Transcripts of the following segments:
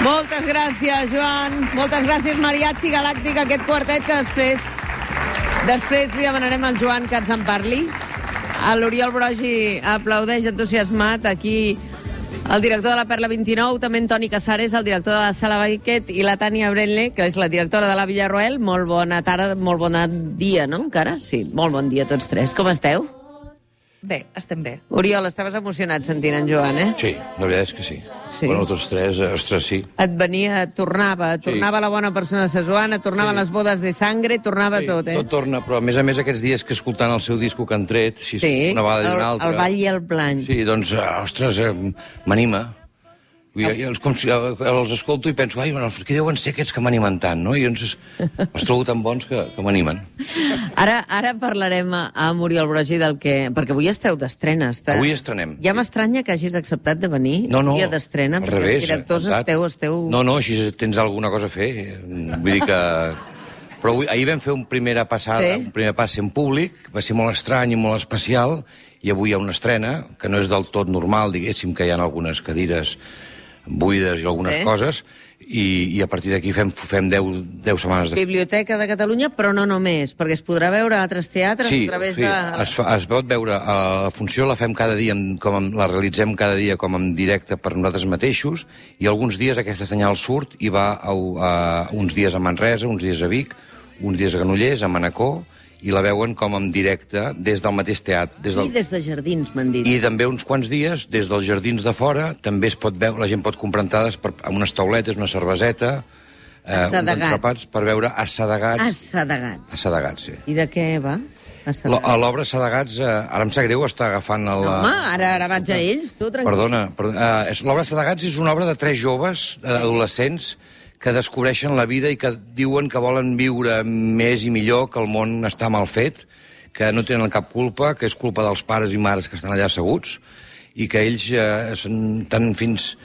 Moltes gràcies, Joan. Moltes gràcies, Mariachi Galàctic, aquest quartet que després li demanarem al Joan que ens en parli. L'Oriol Brogi aplaudeix entusiasmat. Aquí el director de la Perla 29, també en Toni Casares, el director de la Sala Baiquet, i la Tània Brenle, que és la directora de la Villarroel. Molt bona tarda, molt bon dia, no, encara? Sí, molt bon dia a tots tres. Com esteu? Bé, estem bé. Oriol, estaves emocionat sentint en Joan, eh? Sí, la veritat és que sí. Sí. Bueno, tots tres, ostres, sí. Et venia, tornava la bona persona de Sesuana, tornaven les bodes de sangre, tornava tot, eh? Tot torna, però a més aquests diels que escoltant el seu disco que han tret, Sí, una vegada i una altra... el ball i el plany. Sí, doncs, ostres, m'anima. Els escolto i penso, ai, qui deuen ser aquests que m'animen tant, no? I els trobo tan bons que m'animen. Ara parlarem amb Oriol Brogi del que... Perquè avui esteu d'estrena. Avui estrenem. Ja m'estranya que hagis acceptat de venir dia d'estrena, al revés. Els directors esteu... No, així tens alguna cosa a fer. Vull dir que... Però ahir vam fer un primer pas en públic, va ser molt estrany i molt especial, i avui hi ha una estrena, que no és del tot normal, diguéssim, que hi ha algunes cadires buides i algunes coses, i a partir d'aquí fem 10 setmanes de... Biblioteca de Catalunya, però no només, perquè es podrà veure a altres teatres a través de... Sí, es pot veure. La funció la fem cada dia, la realitzem cada dia com en directe per nosaltres mateixos, i alguns dies aquesta senyal surt i va uns dies a Manresa, uns dies a Vic, uns dies a Granollers, a Manacor, i la veuen com en directe des del mateix teatre. I des de Jardins, m'han dit. I també uns quants dies, des dels Jardins de fora, també es pot veure, la gent pot comprar entrades amb unes tauletes, una cerveseta, uns entrepats, per veure Assadegats. Assadegats, sí. I de què va? L'obra Assadegats, ara em sap greu estar agafant el... Home, ara vaig a ells, tu, tranquil. Perdona. L'obra Assadegats és una obra de 3 joves, adolescents, que descobreixen la vida i que diuen que volen viure més i millor, que el món està mal fet, que no tenen cap culpa, que és culpa dels pares i mares que estan allà asseguts, i que ells estan fins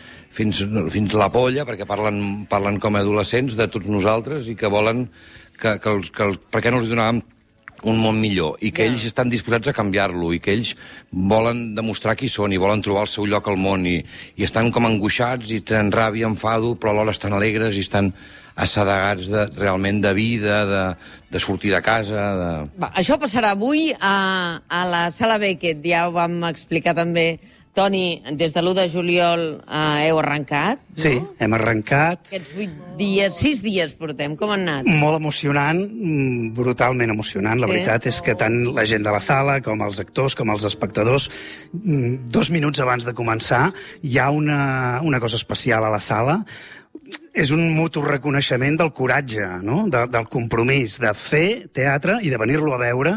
la polla, perquè parlen com a adolescents de tots nosaltres, i que volen per què no els donàvem un món millor, i que ells estan disposats a canviar-lo, i que ells volen demostrar qui són, i volen trobar el seu lloc al món, i estan com angoixats, i tenen ràbia, enfado, però alhora estan alegres, i estan assedegats realment de vida, de sortir de casa... Això passarà avui a la Sala Beckett, ja ho vam explicar també. Toni, des de l'1 de juliol heu arrencat, no? Sí, hem arrencat. Aquests 8 dies, 6 dies portem, com han anat? Molt emocionant, brutalment emocionant. La veritat és que tant la gent de la sala, com els actors, com els espectadors, 2 minuts abans de començar, hi ha una cosa especial a la sala. És un mutu reconeixement del coratge, no? Del compromís de fer teatre i de venir-lo a veure,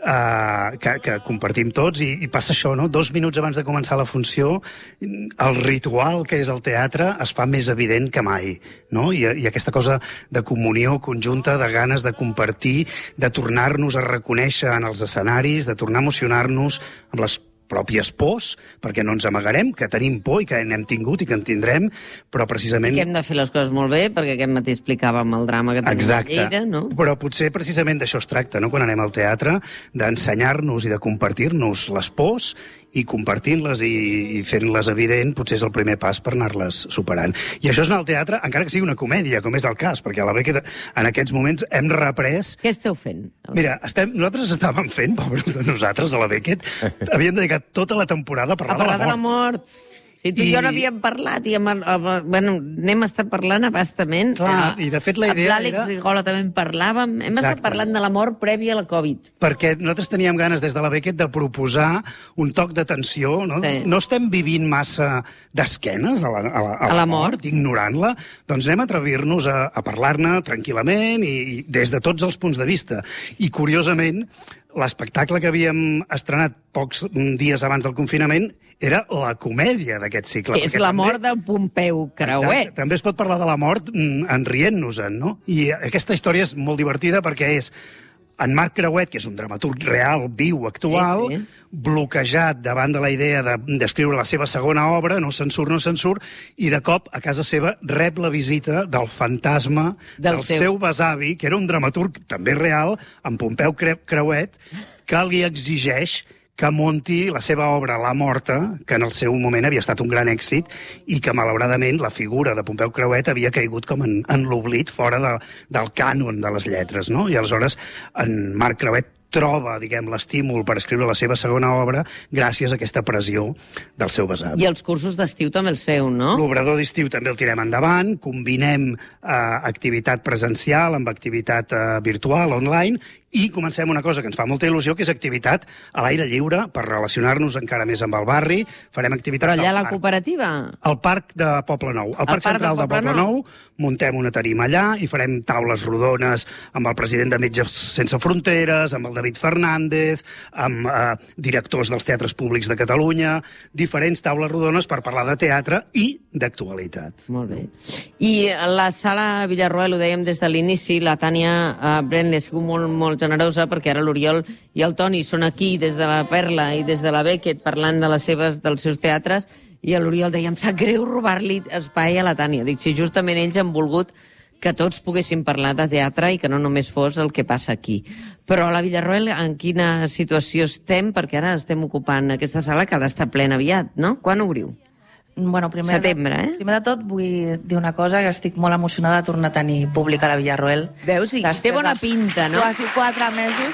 que compartim tots, i passa això, no? 2 minuts abans de començar la funció, el ritual que és el teatre es fa més evident que mai, no? I aquesta cosa de comunió conjunta, de ganes de compartir, de tornar-nos a reconèixer en els escenaris, de tornar a emocionar-nos amb les pròpies pors, perquè no ens amagarem, que tenim por i que n'hem tingut i que en tindrem, però precisament... I que hem de fer les coses molt bé, perquè aquest matí explicàvem el drama que tenim a Lleida, no? Però potser precisament d'això es tracta, no?, quan anem al teatre, d'ensenyar-nos i de compartir-nos les pors, i compartint-les i fent-les evident, potser és el primer pas per anar-les superant. I això és anar al teatre, encara que sigui una comèdia, com és el cas, perquè a la Beckett en aquests moments hem reprès... Què esteu fent? Mira, nosaltres estàvem fent, pobres de nosaltres, a la Beckett, havíem dedicat tota la temporada a parlar de la mort. Si tu i jo n'havíem parlat, i n'hem estat parlant abastament. Clar, i de fet la idea era... Amb l'Àlex Rigola també en parlàvem. Hem estat parlant de la mort prèvia a la Covid. Perquè nosaltres teníem ganes des de la Beckett de proposar un toc d'atenció, no? Sí. No estem vivint massa d'esquenes a la mort, ignorant-la, doncs anem a atrevir-nos a parlar-ne tranquil·lament i des de tots els punts de vista. I, curiosament, l'espectacle que havíem estrenat pocs dies abans del confinament era la comèdia d'aquest cicle. Que és la mort de Pompeu Creuet. Exacte. També es pot parlar de la mort enrient-nos-en, no? I aquesta història és molt divertida perquè és en Marc Creuet, que és un dramaturg real, viu, actual, bloquejat davant de la idea d'escriure la seva segona obra, no se'n surt, i de cop a casa seva rep la visita del fantasma del seu besavi, que era un dramaturg també real, en Pompeu Creuet, que li exigeix que munti la seva obra La Morta, que en el seu moment havia estat un gran èxit i que, malauradament, la figura de Pompeu Creuet havia caigut com en l'oblit fora del cànon de les lletres, no? I aleshores en Marc Creuet troba, diguem, l'estímul per escriure la seva segona obra gràcies a aquesta pressió del seu besavi. I els cursos d'estiu també els feu, no? L'obrador d'estiu també el tirem endavant, combinem activitat presencial amb activitat virtual, online, i comencem una cosa que ens fa molta il·lusió, que és activitat a l'aire lliure per relacionar-nos encara més amb el barri. Farem activitats Però allà a la cooperativa? Al Parc de Poble Nou. Al Parc Central de Poble Nou muntem una tarima allà i farem taules rodones amb el president de Metges Sense Fronteres, amb el David Fernández, amb directors dels teatres públics de Catalunya, diferents taules rodones per parlar de teatre i d'actualitat. Molt bé. I la sala Villarroel, ho dèiem des de l'inici, la Tània Brenle ha sigut molt generosa, perquè ara l'Oriol i el Toni són aquí des de la Perla i des de la Beckett parlant de dels seus teatres, i a l'Oriol deia, em sap greu robar-li espai a la Tània. Dic, si justament ells han volgut que tots poguéssim parlar de teatre i que no només fos el que passa aquí. Però a la Villarroel, en quina situació estem? Perquè ara estem ocupant aquesta sala que ha d'estar plena aviat, no? Quan obriu? Bueno, Setembre, eh? Primer de tot vull dir una cosa, que estic molt emocionada de tornar a tenir públic a la Villarroel. Veus? Sí, té bona pinta, no? Quasi 4 mesos.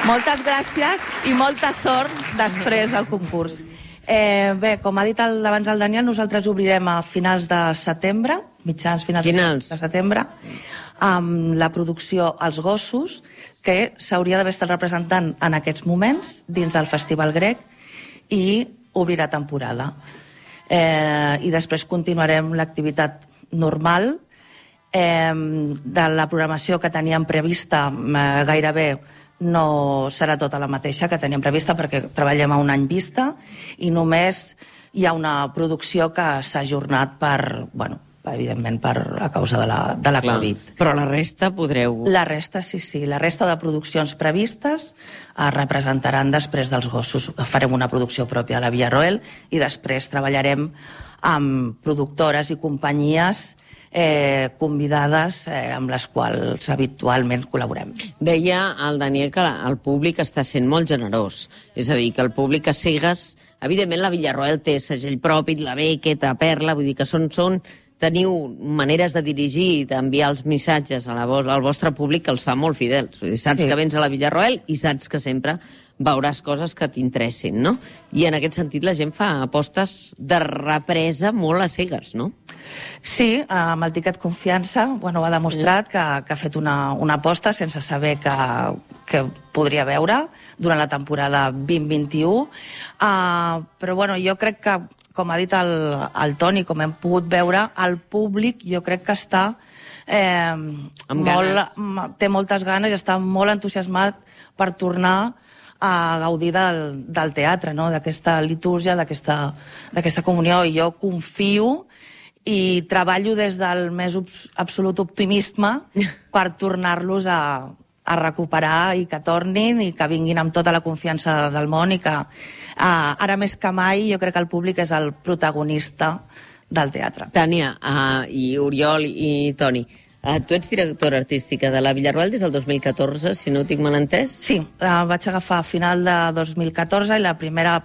Moltes gràcies i molta sort després al concurs. Bé, com ha dit abans el Daniel, nosaltres obrirem a finals de setembre, finals de setembre, amb la producció Els Gossos, que s'hauria d'haver estat representant en aquests moments dins del Festival Grec, i obrirà temporada. I després continuarem l'activitat normal. De la programació que teníem prevista, gairebé no serà tota la mateixa que teníem prevista, perquè treballem a un any vista i només hi ha una producció que s'ha ajornat evidentment a causa de la Covid. Però la resta podreu... La resta, sí. La resta de produccions previstes es representaran després dels Gossos. Farem una producció pròpia a la Villarroel i després treballarem amb productores i companyies convidades amb les quals habitualment col·laborem. Deia el Daniel que el públic està sent molt generós. És a dir, que el públic a cegues... Evidentment, la Villarroel té segell propi, la Beckett, la Perla, vull dir que teniu maneres de dirigir i d'enviar els missatges al vostre públic que els fa molt fidels. Saps que vens a la Villarroel i saps que sempre veuràs coses que t'interessin, no? I en aquest sentit la gent fa apostes de represa molt a cegues, no? Sí, amb el tiquet confiança ha demostrat que ha fet una aposta sense saber que podria veure durant la temporada 2021. Però jo crec que, com ha dit el Toni, com hem pogut veure, el públic jo crec que està té moltes ganes i està molt entusiasmat per tornar a gaudir del teatre, d'aquesta litúrgia, d'aquesta comunió. I jo confio i treballo des del més absolut optimisme per tornar-los a recuperar i que tornin i que vinguin amb tota la confiança del món i que ara més que mai jo crec que el públic és el protagonista del teatre. Tània i Oriol i Toni, tu ets directora artística de la Villarroel des del 2014, si no ho tinc mal entès? Sí, la vaig agafar a final de 2014 i la primera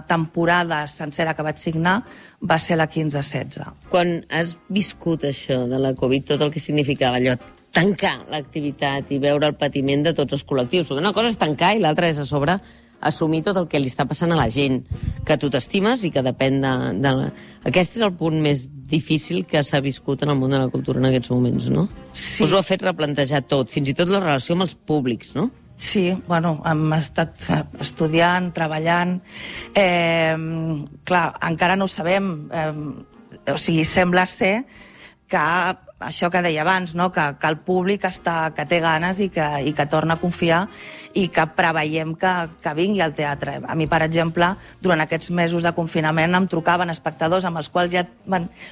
temporada sencera que vaig signar va ser la 15-16. Quan has viscut això de la Covid, tot el que significava allò, tancar l'activitat i veure el patiment de tots els col·lectius. Una cosa és tancar i l'altra és a sobre assumir tot el que li està passant a la gent, que tu t'estimes i que depèn de... Aquest és el punt més difícil que s'ha viscut en el món de la cultura en aquests moments, no? Sí. Us ho ha fet replantejar tot, fins i tot la relació amb els públics, no? Sí, hem estat estudiant, treballant. Clar, encara no ho sabem. Sembla ser que això que deia abans, que el públic que té ganes i que torna a confiar i que preveiem que vingui al teatre. A mi, per exemple, durant aquests mesos de confinament em trucaven espectadors amb els quals ja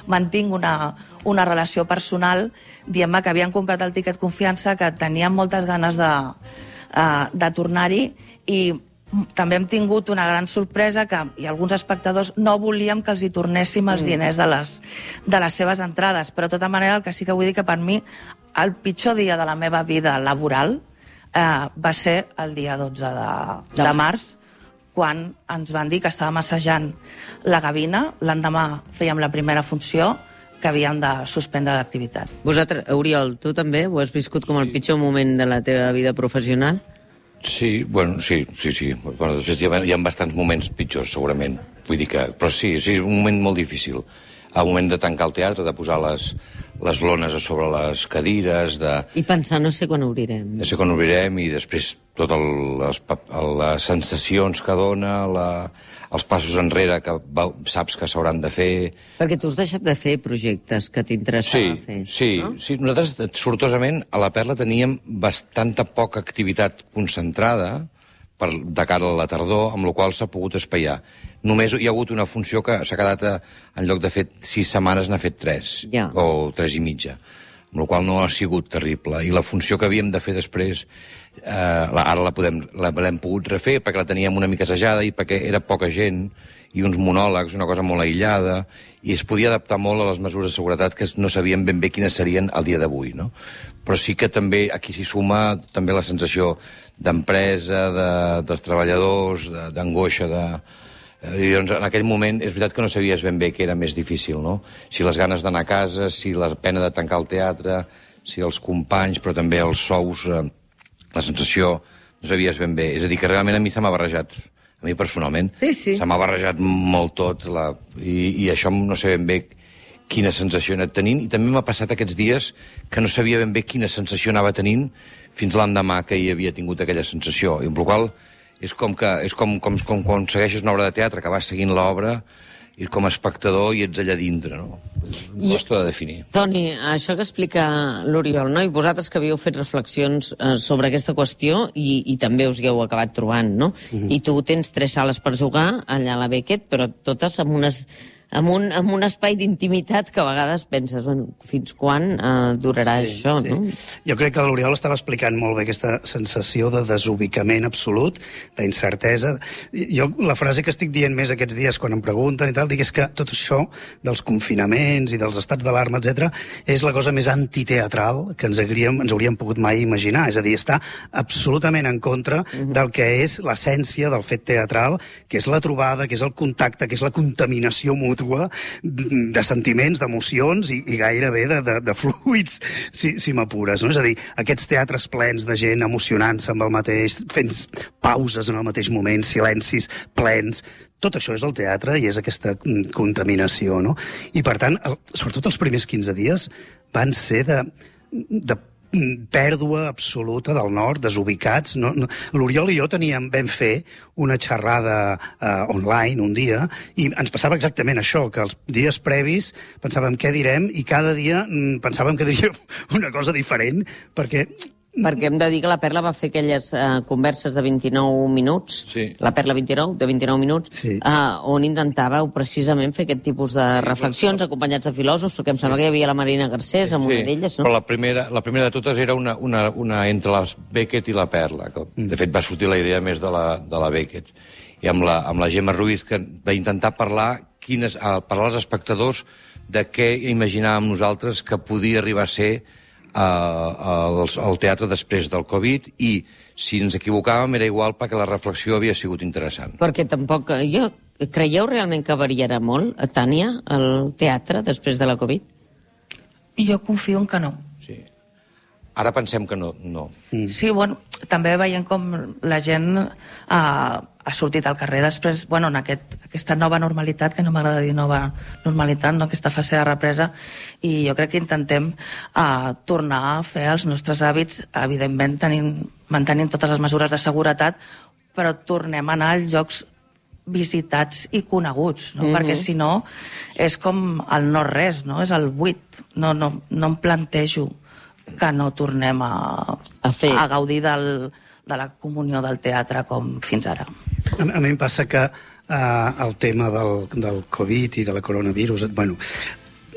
mantinc una relació personal dient-me que havien comprat el tiquet confiança, que tenien moltes ganes de tornar-hi, i també hem tingut una gran sorpresa que alguns espectadors no volíem que els hi tornéssim els diners de les seves entrades, però de tota manera el que sí que vull dir que per mi el pitjor dia de la meva vida laboral va ser el dia 12 de març, quan ens van dir que estàvem assajant la gavina, l'endemà fèiem la primera funció, que havíem de suspendre l'activitat. Vosaltres, Oriol, tu també ho has viscut com el pitjor moment de la teva vida professional? Sí, bueno, sí. Bueno, després hi ha bastants moments pitjors, segurament. Vull dir que... Però sí, és un moment molt difícil. El moment de tancar el teatre, de posar les lones a sobre les cadires, I pensar, no sé quan obrirem. No sé quan obrirem, i després totes les sensacions que dona, els passos enrere que saps que s'hauran de fer... Perquè tu has deixat de fer projectes que t'interessava fer. Sí. Nosaltres, sortosament, a la Perla teníem bastanta poca activitat concentrada de cara a la tardor, amb la qual s'ha pogut espaiar. Només hi ha hagut una funció que s'ha quedat, en lloc de fer 6 setmanes, n'ha fet 3, o 3 i mitja, amb la qual no ha sigut terrible. I la funció que havíem de fer després, ara l'hem pogut refer, perquè la teníem una mica assajada i perquè era poca gent, i uns monòlegs, una cosa molt aïllada, i es podia adaptar molt a les mesures de seguretat que no sabíem ben bé quines serien el dia d'avui, no? Però sí que també aquí s'hi suma també la sensació d'empresa, dels treballadors, d'angoixa, Llavors, en aquell moment, és veritat que no sabies ben bé què era més difícil, no? Si les ganes d'anar a casa, si la pena de tancar el teatre, si els companys, però també els sous, la sensació, no sabies ben bé. És a dir, que realment a mi se m'ha barrejat, a mi personalment, se m'ha barrejat molt tot, i això no sé ben bé quina sensació he anat tenint, i també m'ha passat aquests dies que no sabia ben bé quina sensació anava tenint fins l'endemà que hi havia tingut aquella sensació, i amb la qual és com quan segueixes una obra de teatre, que vas seguint l'obra i com a espectador i ets allà dintre, no? Costa de definir. Toni, això que explica l'Oriol, no? I vosaltres que havíeu fet reflexions sobre aquesta qüestió i també us hi heu acabat trobant, no? I tu tens 3 sales per jugar allà a la Beckett, però totes amb un espai d'intimitat que a vegades penses, bueno, fins quan durarà això, no? Jo crec que l'Oriol estava explicant molt bé aquesta sensació de desubicament absolut, d'incertesa. Jo la frase que estic dient més aquests dies quan em pregunten i tal, dic és que tot això dels confinaments i dels estats d'alarma, etc., és la cosa més antiteatral que ens hauríem pogut mai imaginar. És a dir, està absolutament en contra del que és l'essència del fet teatral, que és la trobada, que és el contacte, que és la contaminació mútua de sentiments, d'emocions i gairebé de fluids, si m'apures, no? És a dir, aquests teatres plens de gent emocionant-se amb el mateix, fent pauses en el mateix moment, silencis plens, tot això és el teatre i és aquesta contaminació, no? I per tant, sobretot els primers 15 dies van ser de pèrdua absoluta del nord, desubicats. L'Oriol i jo vam fer una xerrada online un dia i ens passava exactament això, que els dies previs pensàvem què direm i cada dia pensàvem que diríem una cosa diferent, perquè hem de dir que la Perla va fer aquelles converses de 29 minuts, la Perla 29, de 29 minuts, on intentàveu precisament fer aquest tipus de reflexions acompanyats de filòsofs, perquè em sembla que hi havia la Marina Garcés amb una d'elles, no? Però la primera de totes era una entre la Beckett i la Perla, que de fet va sortir la idea més de la Beckett, i amb la Gemma Ruiz, que va intentar parlar als espectadors de què imaginàvem nosaltres que podia arribar a ser al teatre després del Covid, i si ens equivocàvem era igual perquè la reflexió havia sigut interessant. Perquè tampoc... Creieu realment que variarà molt, Tània, el teatre després de la Covid? Jo confio en que no. Sí. Ara pensem que no. Sí, bueno, també veiem com la gent ha sortit al carrer després, bueno, en aquesta nova normalitat, que no m'agrada dir nova normalitat, no? Aquesta fase de represa, i jo crec que intentem tornar a fer els nostres hàbits, evidentment mantenint totes les mesures de seguretat, però tornem a anar als llocs visitats i coneguts, no? Perquè si no és com el no res, no? És el buit. No em plantejo que no tornem a gaudir de la comunió del teatre com fins ara. A mi em passa que el tema del Covid i de la coronavirus, bueno,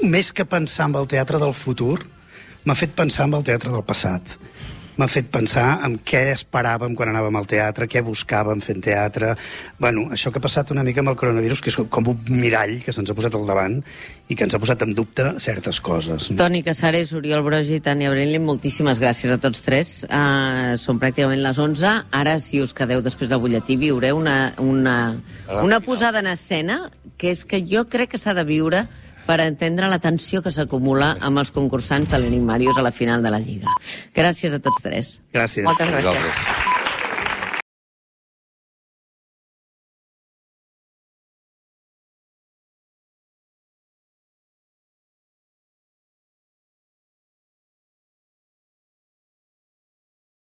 més que pensar en el teatre del futur, m'ha fet pensar en el teatre del passat. m'ha fet pensar en què esperàvem quan anàvem al teatre, què buscàvem fent teatre. Bueno, això que ha passat una mica amb el coronavirus, que és com un mirall que se'ns ha posat al davant i que ens ha posat en dubte certes coses. Toni Casares, Oriol Brogi i Tània Brenlin, moltíssimes gràcies a tots tres. Són pràcticament les 11. Ara, si us quedeu després del butlletí, viureu una posada en escena que és que jo crec que s'ha de viure per entendre la tensió que s'acumula amb els concursants de l'Enigmàrius a la final de la Lliga. Gràcies a tots tres. Gràcies. Moltes gràcies.